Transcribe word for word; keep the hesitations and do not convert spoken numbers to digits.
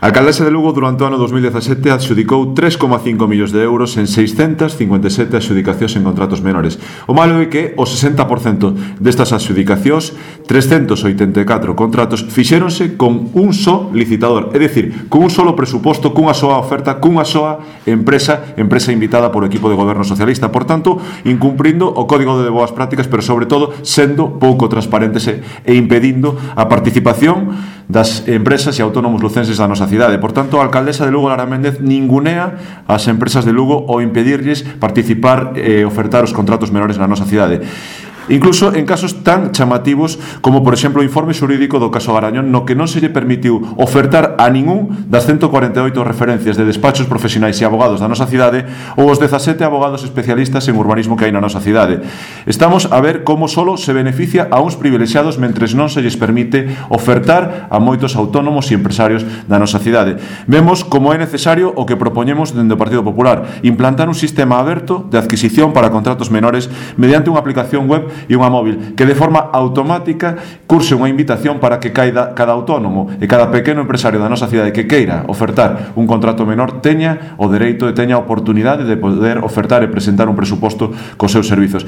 A alcaldesa de Lugo durante o ano dos mil dezasete adxudicou tres coma cinco millóns de euros en seiscentas cincuenta e sete adxudicacións en contratos menores. O malo é que o sesenta por cento destas adxudicacións, trescentos oitenta e catro contratos, fixéronse con un só licitador, é dicir, con un solo presuposto, cunha soa oferta, cunha soa empresa, empresa invitada por equipo de goberno socialista. Por tanto, incumprindo o Código de Boas Prácticas, pero sobre todo sendo pouco transparentes e, e impedindo a participación das empresas e autónomos lucenses da nosa cidade. Por tanto, a alcaldesa de Lugo, Lara Méndez, ningunea as empresas de Lugo ao impedirlles participar e ofertar os contratos menores na nosa cidade. Incluso en casos tan chamativos como, por exemplo, o informe xurídico do caso Garañón, no que non se lle permitiu ofertar a ningún das ciento cuarenta e oito referencias de despachos profesionais e abogados da nosa cidade ou os dezasete abogados especialistas en urbanismo que hai na nosa cidade. Estamos a ver como solo se beneficia a uns privilexiados mentres non se lles permite ofertar a moitos autónomos e empresarios da nosa cidade. Vemos como é necesario o que propoñemos dende o Partido Popular, implantar un sistema aberto de adquisición para contratos menores mediante unha aplicación web e unha móvil que de forma automática curse unha invitación para que cada, cada autónomo e cada pequeno empresario da nosa cidade que queira ofertar un contrato menor teña o dereito e teña a oportunidade de poder ofertar e presentar un presuposto cos seus servizos.